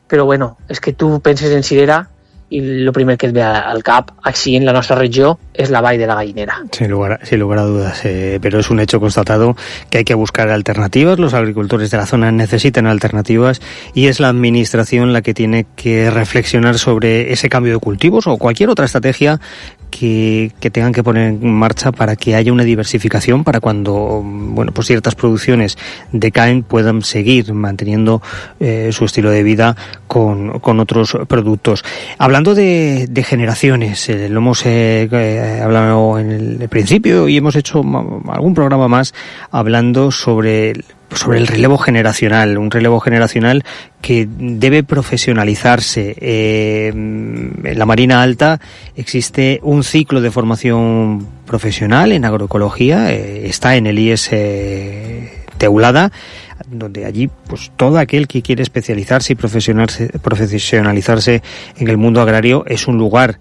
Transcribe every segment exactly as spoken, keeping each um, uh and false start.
però bueno, és que tu penses en cirera i el primer que et ve al cap, així en la nuestra región, es la Vall de la Gallinera. Sin lugar, sin lugar a dudas, eh, pero es un hecho constatado que hay que buscar alternativas, los agricultores de la zona necesitan alternativas y es la administración la que tiene que reflexionar sobre ese cambio de cultivos o cualquier otra estrategia que, que tengan que poner en marcha para que haya una diversificación para cuando, bueno, pues ciertas producciones decaen puedan seguir manteniendo eh, su estilo de vida con, con otros productos. Hablando de, de generaciones, eh, lo hemos eh, eh, hablado en el principio y hemos hecho algún programa más hablando sobre sobre el relevo generacional, un relevo generacional que debe profesionalizarse. Eh, en la Marina Alta existe un ciclo de formación profesional en agroecología, eh, está en el I E S Teulada, donde allí pues todo aquel que quiere especializarse y profesionalizarse, profesionalizarse en el mundo agrario es un lugar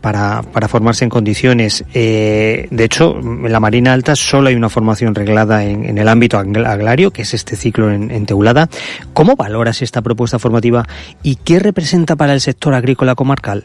Para, para formarse en condiciones. Eh, de hecho, en la Marina Alta solo hay una formación reglada en, en el ámbito agrario, que es este ciclo en, en Teulada. ¿Cómo valoras esta propuesta formativa y qué representa para el sector agrícola comarcal?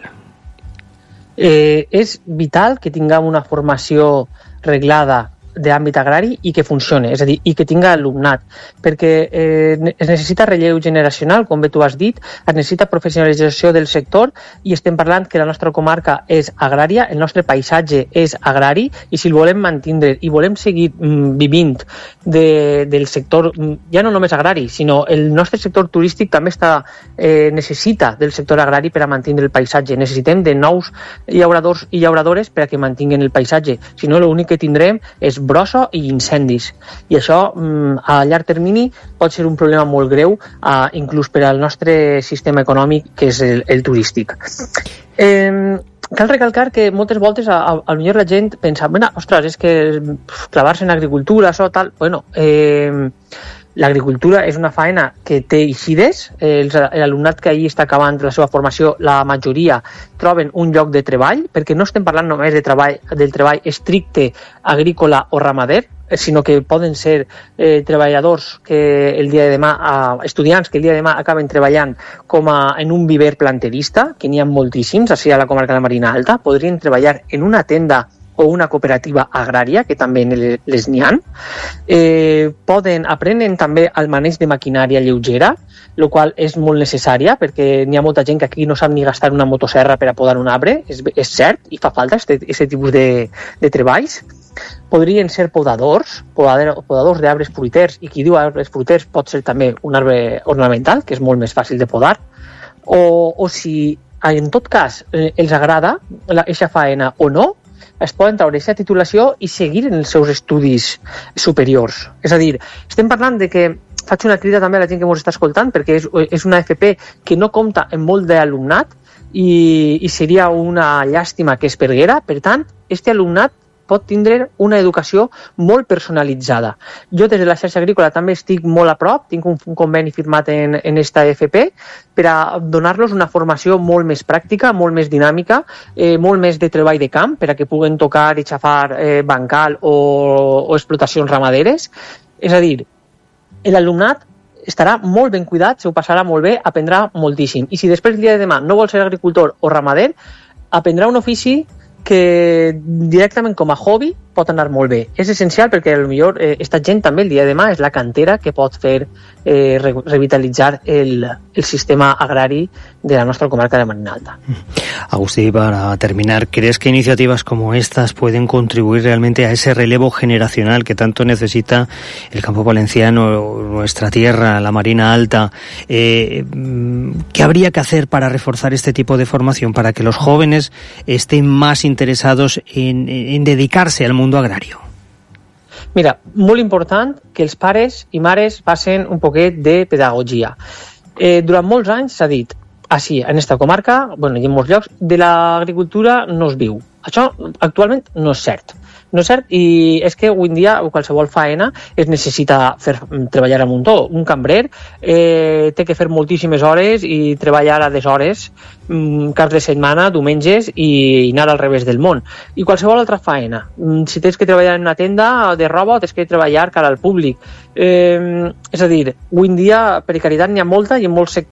Eh, és vital que tinguem una formació reglada d'àmbit agrari i que funcione, és a dir, i que tinga alumnat, perquè eh, es necessita relleu generacional, com bé tu has dit, es necessita professionalització del sector i estem parlant que la nostra comarca és agrària, el nostre paisatge és agrari i si el volem mantindre i volem seguir mm, vivint de, del sector, ja no només agrari, sinó el nostre sector turístic també està, eh, necessita del sector agrari per a mantenir el paisatge. Necessitem de nous llauradors i llauradores per a que mantinguen el paisatge, si no l'únic que tindrem és brossa i incendis. I això a llarg termini pot ser un problema molt greu, eh, inclús per al nostre sistema econòmic, que és el, el turístic. Eh, cal recalcar que moltes voltes a, a, a millor la gent pensa, bueno, ostres, és que clavar-se en agricultura, això, tal... Bueno, eh, l'agricultura és una faena que té eixides, eh, l'alumnat que allí està acabant la seva formació, la majoria troben un lloc de treball, perquè no estem parlant només de treball, del treball estricte agrícola o ramader, sinó que poden ser eh, treballadors que el dia de demà, eh, estudiants que el dia de demà acaben treballant com a, en un viver planterista, que n'hi ha moltíssims, així a la comarca de la Marina Alta, podrien treballar en una tenda o una cooperativa agrària, que també les n'hi ha. Eh, poden, aprenen també el maneig de maquinària lleugera, el qual és molt necessària, perquè n'hi ha molta gent que aquí no sap ni gastar una motosserra per a podar un arbre, és, és cert, i fa falta aquest tipus de, de treballs. Podrien ser podadors, podadors d'arbres fruiters, i qui diu arbres fruiters pot ser també un arbre ornamental, que és molt més fàcil de podar, o, o si en tot cas els agrada aquesta faena o no, es poden treure aquesta titulació i seguir en els seus estudis superiors. És a dir, estem parlant de que faig una crida també a la gent que ens està escoltant, perquè és, és una F P que no compta amb molt d'alumnat i, i seria una llàstima que es perguera. Per tant, aquest alumnat pot tindre una educació molt personalitzada. Jo des de la xarxa agrícola també estic molt a prop, tinc un, un conveni firmat en, en esta F P per a donar-los una formació molt més pràctica, molt més dinàmica, eh, molt més de treball de camp, per a que puguen tocar i xafar eh, bancal o, o explotacions ramaderes. És a dir, l'alumnat estarà molt ben cuidat, se ho passarà molt bé, aprendrà moltíssim. I si després el dia de demà no vol ser agricultor o ramader, aprendrà un ofici que directament com a hobby pot anar molt bé. És essencial perquè potser eh, esta gent també el dia de demà és la cantera que pot fer eh, re revitalitzar el, el sistema agrari de la nuestra comarca de Marina Alta. Agustí, para terminar, ¿crees que iniciativas como estas pueden contribuir realmente a ese relevo generacional que tanto necesita el campo valenciano, nuestra tierra, la Marina Alta? Eh, ¿Qué habría que hacer para reforzar este tipo de formación, para que los jóvenes estén más interesados en, en dedicarse al mundo agrario? Mira, molt important que els pares i mares facin un poquet de pedagogia. Eh, durant molts anys s'ha dit, així, en esta comarca, bueno, i en molts llocs, de l'agricultura no es viu. Això actualment no és cert. No és cert, i és que avui en dia qualsevol faena es necessita fer, treballar a muntó. Un cambrer eh, té que fer moltíssimes hores i treballar a deshores, mm, caps de setmana, diumenges i anar al revés del món. I qualsevol altra faena. Mm, si tens que treballar en una tenda de roba, tens que treballar cara al públic. Eh, és a dir, avui en dia precarietat n'hi ha molta i en molts